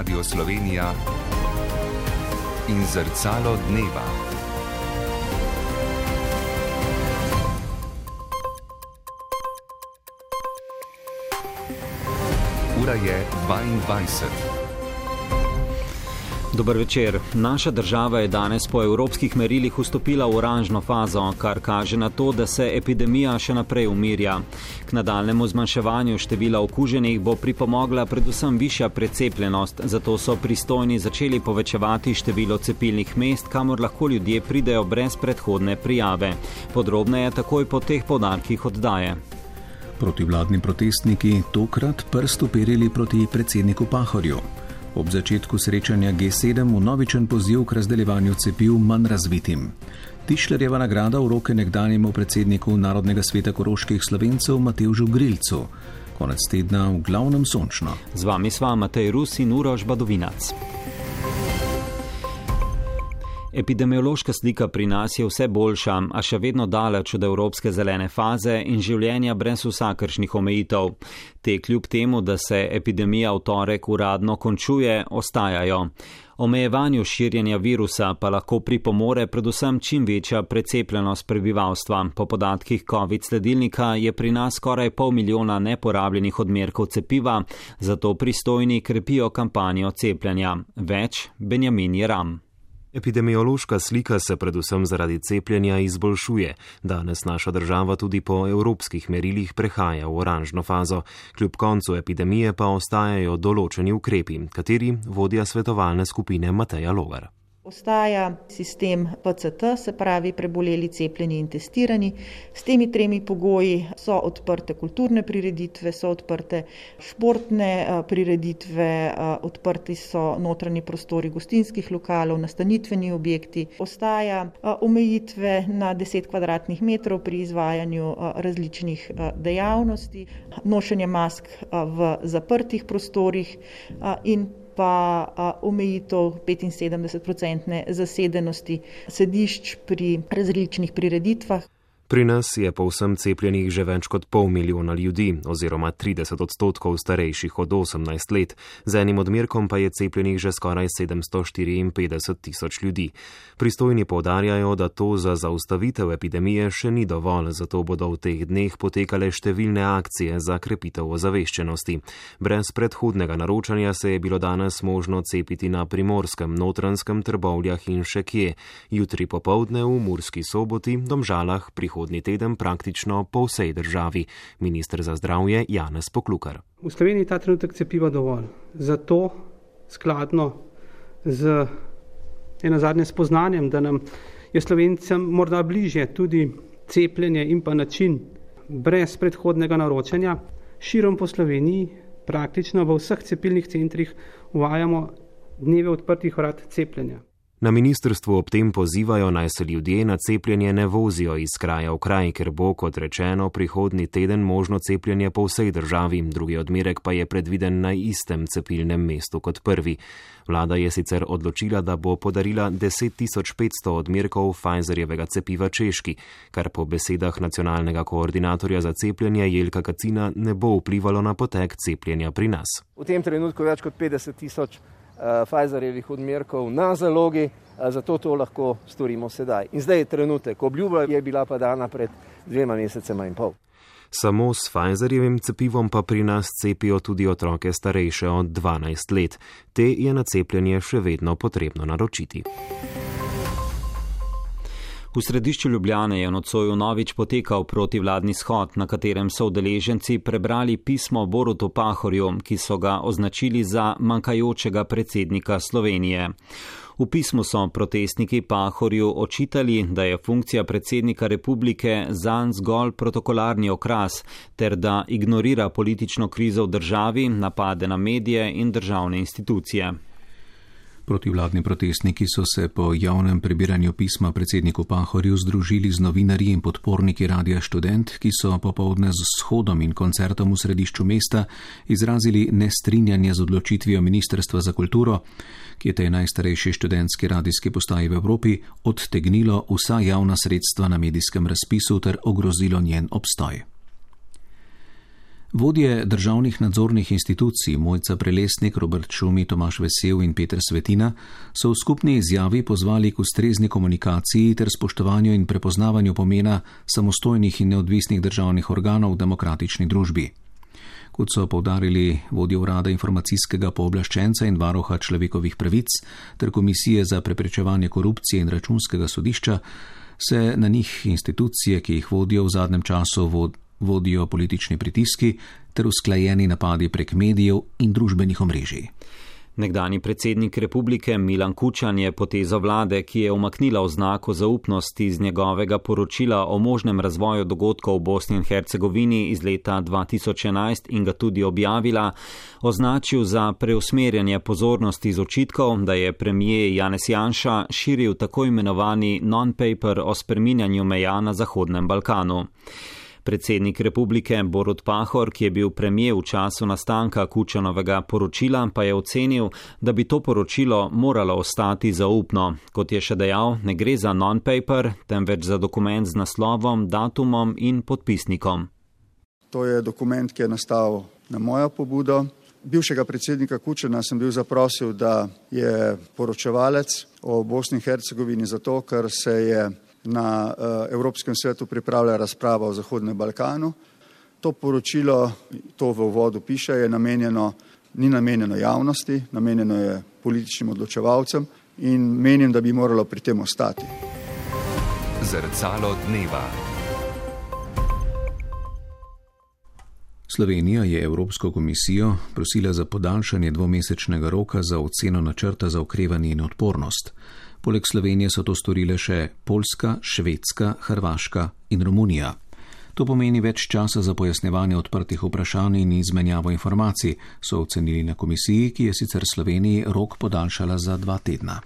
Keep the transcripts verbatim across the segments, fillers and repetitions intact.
Radio Slovenija in Zrcalo dneva. Ura je dvaindvajset. Dober večer. Naša država je danes po evropskih merilih vstopila v oranžno fazo, kar kaže na to, da se epidemija še naprej umirja. K nadaljnemu zmanjševanju števila okuženih bo pripomogla predvsem višja precepljenost, zato so pristojni začeli povečevati število cepilnih mest, kamor lahko ljudje pridejo brez predhodne prijave. Podrobneje takoj po teh poudarkih oddaje. Protivladni protestniki tokrat prst uperili proti predsedniku Pahorju. Ob začetku srečanja G sedem vnovičen poziv k razdeljevanju cepiv manj razvitim. Tišlerjeva nagrada v roke nekdanjemu predsedniku Narodnega sveta koroških Slovencev Matevžu Grilcu. Konec tedna v glavnem sončno. Z vami sva Matej Rus in Uroš Badovinac. Epidemiološka slika pri nas je vse boljša, a še vedno daleč od evropske zelene faze in življenja brez vsakršnih omejitev. Te kljub temu, da se epidemija v torek uradno končuje, ostajajo. Omejevanju širjenja virusa pa lahko pripomore predvsem čim večja precepljenost prebivalstva. Po podatkih COVID sledilnika je pri nas skoraj pol milijona neporabljenih odmerkov cepiva, zato pristojni krepijo kampanjo cepljenja. Več Benjamin Jeram. Epidemiološka slika se predvsem zaradi cepljenja izboljšuje. Danes naša država tudi po evropskih merilih prehaja v oranžno fazo. Kljub koncu epidemije pa ostajajo določeni ukrepi, kateri vodja svetovalne skupine Mateja Logar. Ostaja sistem P C T, se pravi preboleli, cepljeni in testirani. S temi tremi pogoji so odprte kulturne prireditve, so odprte športne prireditve, odprti so notranji prostori gostinskih lokalov, nastanitveni objekti. Ostaja omejitve na deset kvadratnih metrov pri izvajanju različnih dejavnosti, nošenje mask v zaprtih prostorih in pa omejitev petinsedemdeset procentne zasedenosti sedišč pri različnih prireditvah. Pri nas je povsem cepljenih že več kot pol milijona ljudi, oziroma trideset odstotkov starejših od osemnajst let. Z enim odmerkom pa je cepljenih že skoraj sedemsto štiriinpetdeset tisoč ljudi. Pristojni poudarjajo, da to za zaustavitev epidemije še ni dovolj, zato bodo v teh dneh potekale številne akcije za krepitev ozaveščenosti. Brez predhodnega naročanja se je bilo danes možno cepiti na Primorskem, Notranjskem, Trbovljah in še kje. Jutri popoldne v Murski Soboti, Domžalah, prihodnji teden praktično po vsej državi. Minister za zdravje Janez Poklukar. V Sloveniji ta trenutek cepiva dovolj. Zato skladno z eno zadnje spoznanjem, da nam je Slovencem morda bližje tudi cepljenje in pa način brez predhodnega naročanja, širom po Sloveniji praktično v vseh cepilnih centrih uvajamo dneve odprtih vrat cepljenja. Na ministrstvu ob tem pozivajo, naj se ljudje na cepljenje ne vozijo iz kraja v kraj, ker bo, kot rečeno, prihodnji teden možno cepljenje po vsej državi, drugi odmerek pa je predviden na istem cepilnem mestu kot prvi. Vlada je sicer odločila, da bo podarila deset tisoč petsto odmerkov Pfizerjevega cepiva Češki, kar po besedah nacionalnega koordinatorja za cepljenje Jelka Kacina ne bo vplivalo na potek cepljenja pri nas. V tem trenutku več kot petdeset tisoč Pfizerjevih odmerkov na zalogi, zato to lahko storimo sedaj. In zdaj je trenutek, obljuba je bila pa dana pred dvema mesecema in pol. Samo s Pfizerjevim cepivom pa pri nas cepijo tudi otroke starejše od dvanajst let. Te je na cepljenje še vedno potrebno naročiti. V središču Ljubljane je nocoj vnovič potekal protivladni shod, na katerem so udeleženci prebrali pismo Borutu Pahorju, ki so ga označili za manjkajočega predsednika Slovenije. V pismu so protestniki Pahorju očitali, da je funkcija predsednika republike zanj zgolj protokolarni okras, ter da ignorira politično krizo v državi, napade na medije in državne institucije. Protivladni protestniki so se po javnem prebiranju pisma predsedniku Pahorju združili z novinarji in podporniki Radia Študent, ki so popoldne z shodom in koncertom v središču mesta izrazili nestrinjanje z odločitvijo Ministrstva za kulturo, ki je tej najstarejši študentski radijski postaji v Evropi odtegnilo vsa javna sredstva na medijskem razpisu ter ogrozilo njen obstoj. Vodje državnih nadzornih institucij Mojca Prelesnik, Robert Šumi, Tomaž Vesel in Peter Svetina so v skupni izjavi pozvali k ustrezni komunikaciji ter spoštovanju in prepoznavanju pomena samostojnih in neodvisnih državnih organov v demokratični družbi. Kot so poudarili vodje urada informacijskega pooblaščenca in varuha človekovih pravic ter Komisije za preprečevanje korupcije in Računskega sodišča, se na njih institucije, ki jih vodijo v zadnjem času, vodijo politični pritiski ter usklajeni napadi prek medijev in družbenih omrežij. Nekdanji predsednik republike Milan Kučan je potezo vlade, ki je umaknila oznako zaupnosti iz njegovega poročila o možnem razvoju dogodkov v Bosni in Hercegovini iz leta dva tisoč enajst in ga tudi objavila, označil za preusmerjanje pozornosti iz očitkov, da je premijer Janez Janša širil tako imenovani non-paper o spreminjanju meja na Zahodnem Balkanu. Predsednik republike Borut Pahor, ki je bil premijer v času nastanka Kučanovega poročila, pa je ocenil, da bi to poročilo moralo ostati zaupno. Kot je še dejal, ne gre za non-paper, temveč za dokument z naslovom, datumom in podpisnikom. To je dokument, ki je nastal na mojo pobudo. Bivšega predsednika Kučana sem bil zaprosil, da je poročevalec o Bosni in Hercegovini zato, ker se je na Evropskem svetu pripravlja razprava o Zahodnem Balkanu. To poročilo, to v uvodu piše, je namenjeno, ni namenjeno javnosti, namenjeno je političnim odločevalcem in menim, da bi moralo pri tem ostati. Zrcalo dneva. Slovenija je Evropsko komisijo prosila za podaljšanje dvomesečnega roka za oceno načrta za okrevanje in odpornost. Poleg Slovenije so to storile še Poljska, Švedska, Hrvaška in Romunija. To pomeni več časa za pojasnjevanje odprtih vprašanj in izmenjavo informacij, so ocenili na komisiji, ki je sicer Sloveniji rok podaljšala za dva tedna.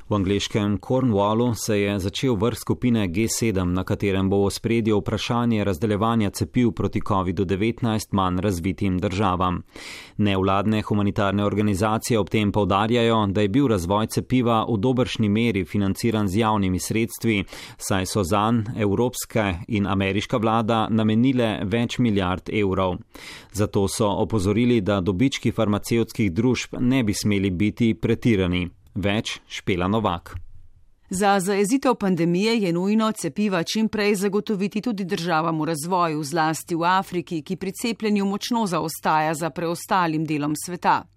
V angleškem Cornwallu se je začel vrh skupine G sedem, na katerem bo v ospredju vprašanje razdeljevanja cepiv proti kovidu devetnajst manj razvitim državam. Nevladne humanitarne organizacije ob tem poudarjajo, da je bil razvoj cepiva v dobršni meri financiran z javnimi sredstvi, saj so zanj evropska in ameriška vlada namenile več milijard evrov. Zato so opozorili, da dobički farmacevtskih družb ne bi smeli biti pretirani. Več Špela Novak. Za zajezitev pandemije je nujno cepiva čim prej zagotoviti tudi državam v razvoju, zlasti v Afriki, ki pri cepljenju močno zaostaja za preostalim delom sveta.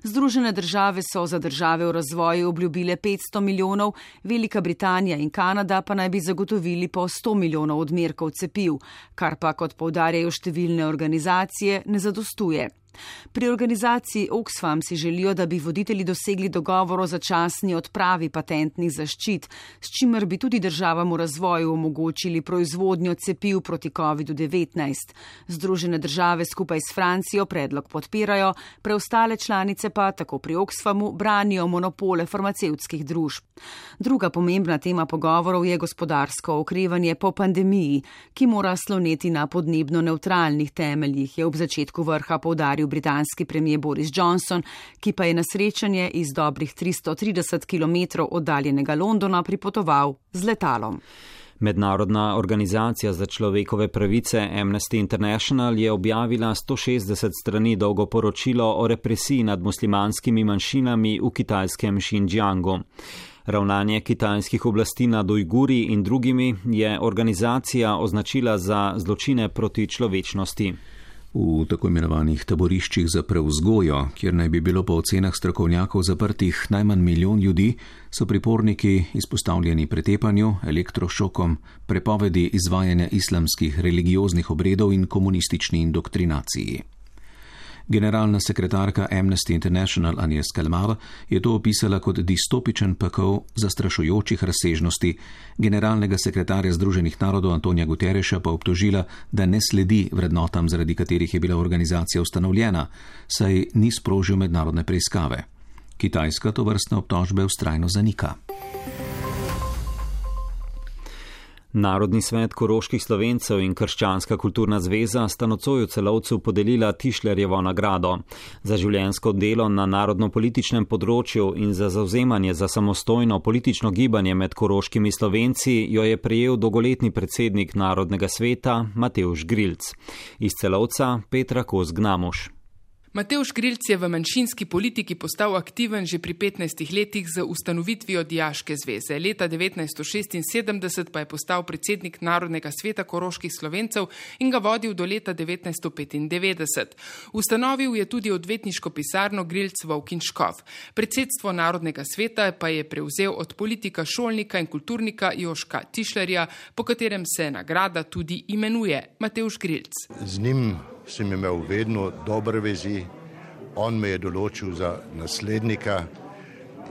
Združene države so za države v razvoju obljubile petsto milijonov, Velika Britanija in Kanada pa naj bi zagotovili po sto milijonov odmerkov cepiv, kar pa, kot poudarjajo številne organizacije, ne zadostuje. Pri organizaciji Oxfam si želijo, da bi voditelji dosegli dogovor o začasni odpravi patentnih zaščit, s čimer bi tudi državam v razvoju omogočili proizvodnjo cepiv proti kovidu devetnajst. Združene države skupaj s Francijo predlog podpirajo, preostale članice pa tako pri Oxfamu branijo monopole farmacevtskih družb. Druga pomembna tema pogovorov je gospodarsko okrevanje po pandemiji, ki mora sloneti na podnebno nevtralnih temeljih, je ob začetku vrha poudaril britanski premijer Boris Johnson, ki pa je na srečanje iz dobrih tristo trideset kilometrov oddaljenega Londona pripotoval z letalom. Mednarodna organizacija za človekove pravice Amnesty International je objavila sto šestdeset strani dolgo poročilo o represiji nad muslimanskimi manjšinami v kitajskem Xinjiangu. Ravnanje kitajskih oblasti nad Ujguri in drugimi je organizacija označila za zločine proti človečnosti. V tako imenovanih taboriščih za prevzgojo, kjer naj bi bilo po ocenah strokovnjakov zaprtih najmanj milijon ljudi, so priporniki izpostavljeni pretepanju, elektrošokom, prepovedi izvajanja islamskih religioznih obredov in komunistični indoktrinaciji. Generalna sekretarka Amnesty International Agnes Callamard je to opisala kot distopičen pekel zastrašujočih razsežnosti, generalnega sekretarja Združenih narodov Antonija Guterreša pa obtožila, da ne sledi vrednotam, zaradi katerih je bila organizacija ustanovljena, saj ni sprožil mednarodne preiskave. Kitajska tovrstne obtožbe vztrajno zanika. Narodni svet koroških Slovencev in Krščanska kulturna zveza sta nocoj v Celovcu podelila Tišlerjevo nagrado. Za življenjsko delo na narodno-političnem področju in za zavzemanje za samostojno politično gibanje med koroškimi Slovenci jo je prejel dolgoletni predsednik Narodnega sveta Matevž Grilc. Iz Celovca Petra Kos-Gnamuš. Matevž Grilc je v manjšinski politiki postal aktiven že pri petnajstih letih z ustanovitvijo Dijaške zveze. Leta devetnajststo šestinsedemdeset pa je postal predsednik Narodnega sveta koroških Slovencev in ga vodil do leta devetnajststo petindevetdeset. Ustanovil je tudi odvetniško pisarno Grilc Volk in Škof. Predsedstvo Narodnega sveta pa je prevzel od politika šolnika in kulturnika Joška Tišlerja, po katerem se nagrada tudi imenuje Matevž Grilc. Z njim sem imel vedno dobre vezi, on me je določil za naslednika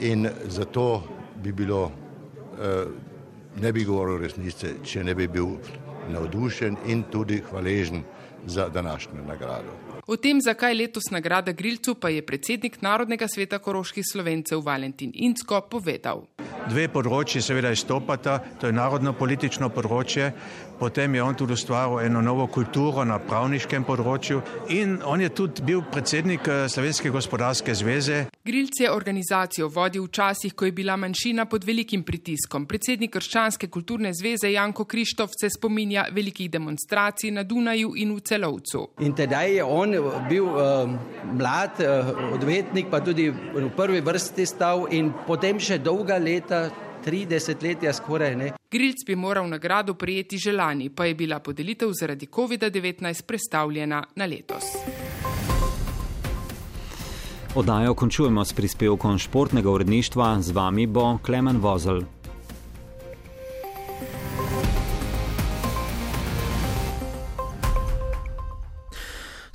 in zato bi bilo, eh, ne bi govoril resnice, če ne bi bil navdušen in tudi hvaležen za današnjo nagrado. O tem, zakaj letos nagrada Grilcu, pa je predsednik Narodnega sveta koroških Slovencev Valentin Incko povedal. Dve področji seveda izstopata, to je narodno-politično področje, potem je on tudi ustvaril eno novo kulturo na pravniškem področju in on je tudi bil predsednik Slovenske gospodarske zveze. Grilc je organizacijo vodil v časih, ko je bila manjšina pod velikim pritiskom. Predsednik Krščanske kulturne zveze Janko Krištof se spominja velikih demonstracij na Dunaju in v Celovcu. In tedaj je on bil uh, mlad uh, odvetnik, pa tudi v prvi vrsti stal in potem še dolga leta, tri desetletja skoraj, ne. Grilc bi moral nagrado prejeti že lani, pa je bila podelitev zaradi kovida devetnajst prestavljena na letos. Oddajo končujemo s prispevkom športnega uredništva, z vami bo Klemen Vozelj.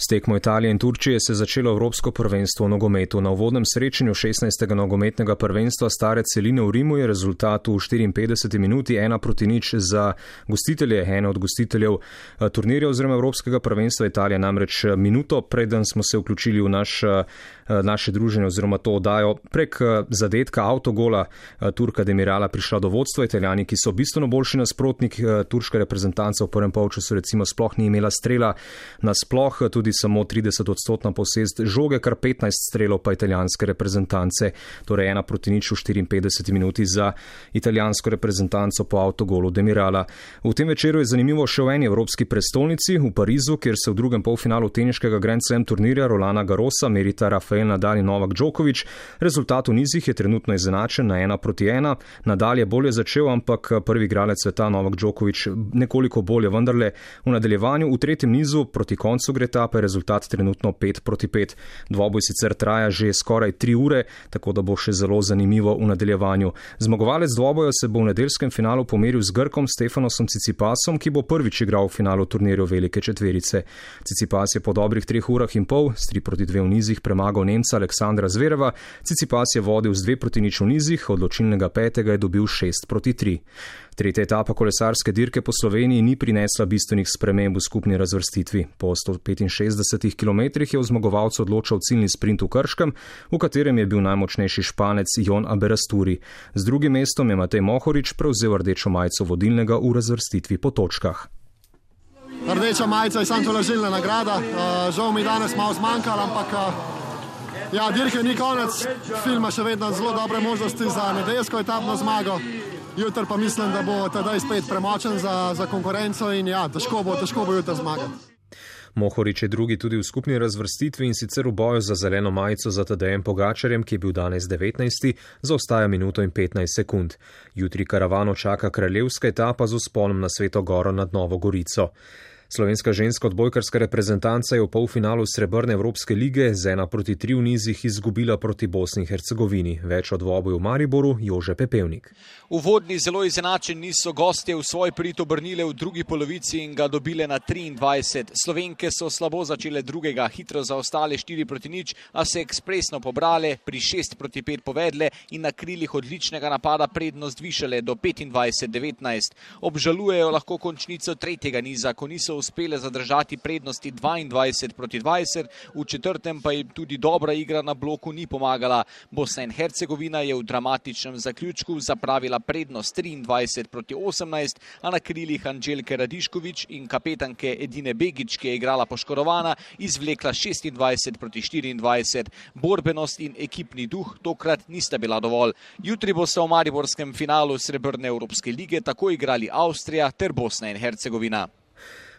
S tekmo Italije in Turčije se je začelo Evropsko prvenstvo v nogometu. Na uvodnem srečanju šestnajstega nogometnega prvenstva stare celine v Rimu je rezultat v štiriinpetdeseti minuti ena proti nič za gostitelje, ene od gostiteljev turnirja oziroma Evropskega prvenstva. Italija namreč minuto preden smo se vključili v naš, naše druženje oziroma to oddajo prek zadetka avtogola Turka Demirala prišla do vodstva. Italijani, ki so bistveno boljši nasprotnik, turška reprezentanca v prvem polčasu recimo sploh ni imela strela nasploh, tudi samo trideset odstotna posest žoge, kar petnajst strelov pa italijanske reprezentance, torej ena proti nič v štiriinpetdeseti minuti za italijansko reprezentanco po avtogolu Demirala. V tem večeru je zanimivo še v eni evropski prestolnici, v Parizu, kjer se v drugem polfinalu teniškega Grand Slam turnirja Rolana Garrosa merita Rafael Nadal in Novak Djokovic. Rezultat v nizih je trenutno izenačen na ena proti ena. Nadal je bolje začel, ampak prvi igralec sveta Novak Djokovic nekoliko bolje, vendarle v nadaljevanju v tretjem nizu proti koncu gre ta, pa je rezultat trenutno pet proti pet. Dvoboj sicer traja že skoraj tri ure, tako da bo še zelo zanimivo v nadaljevanju. Zmagovalec dvoboja se bo v nedeljskem finalu pomeril z Grkom Stefanosom Cicipasom, ki bo prvič igral v finalu turnirja velike četverice. Cicipas je po dobrih treh urah in pol s tri proti dve v nizih premagal Nemca Aleksandra Zvereva. Cicipas je vodil z dve proti nič v nizih, odločilnega petega je dobil šest proti tri. Tretja etapa kolesarske dirke po Sloveniji ni prinesla bistvenih sprememb v skupni razvrstitvi. Po sto petinšestdesetih kilometrih je v zmagovalcu odločal ciljni sprint v Krškem, v katerem je bil najmočnejši Španec Jon Aberasturi. Z drugim mestom je Matej Mohorič prevzel rdečo majico vodilnega v razvrstitvi po točkah. Rdeča majica je samo tolažilna nagrada, žal mi danes malo zmanjkalo, ampak ja, dirke ni konec, filma še vedno zelo dobre možnosti za nedeljsko etapno zmago. Jutri pa mislim, da bo tedaj spet premočen za, za konkurenco in ja, težko bo, težko bo jutri zmagati. Mohorič je drugi tudi v skupni razvrstitvi in sicer v boju za zeleno majico za Tadejem Pogačarjem, ki je bil danes devetnajsti, zaostaja minuto in petnajst sekund. Jutri karavano čaka kraljevska etapa z vzponom na Sveto Goro nad Novo Gorico. Slovenska ženska odbojkarska reprezentanca je v polfinalu Srebrne Evropske lige z ena proti tri v nizih izgubila proti Bosni in Hercegovini. Več o dvoboju v Mariboru Jože Pepevnik. Uvodni zelo izenačen niso gostje v svoj prid obrnile v drugi polovici in ga dobile na triindvajset. Slovenke so slabo začele drugega, hitro zaostale štiri proti nič, a se ekspresno pobrale, pri šest proti pet povedle in na krilih odličnega napada prednost višale do petindvajset devetnajst. Obžalujejo lahko končnico tretjega niza, ko niso uspele zadržati prednosti dvaindvajset proti dvajset, v četrtem pa jim tudi dobra igra na bloku ni pomagala. Bosna in Hercegovina je v dramatičnem zaključku zapravila prednost triindvajset proti osemnajst, a na krilih Anđelke Radišković in kapetanke Edine Begić, ki je igrala poškodovana, izvlekla šestindvajset proti štiriindvajset. Borbenost in ekipni duh tokrat nista bila dovolj. Jutri bosta v mariborskem finalu srebrne Evropske lige tako igrali Avstrija ter Bosna in Hercegovina.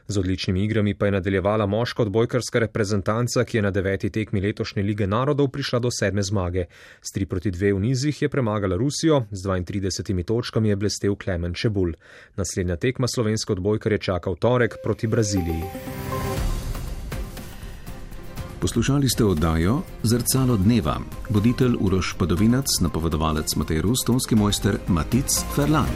Z odličnimi igrami pa je nadaljevala moška odbojkarska reprezentanca, ki je na deveti tekmi letošnje Lige narodov prišla do sedme zmage. S tri proti dve v nizih je premagala Rusijo, z dvaintridesetimi točkami je blestel Klemen Čebulj. Naslednja tekma slovenske odbojkarje čaka v torek proti Braziliji. Poslušali ste oddajo Zrcalo dneva. Voditelj Uroš Padovinac, napovedovalec Matej Rus, tonski mojster Matic Ferlan.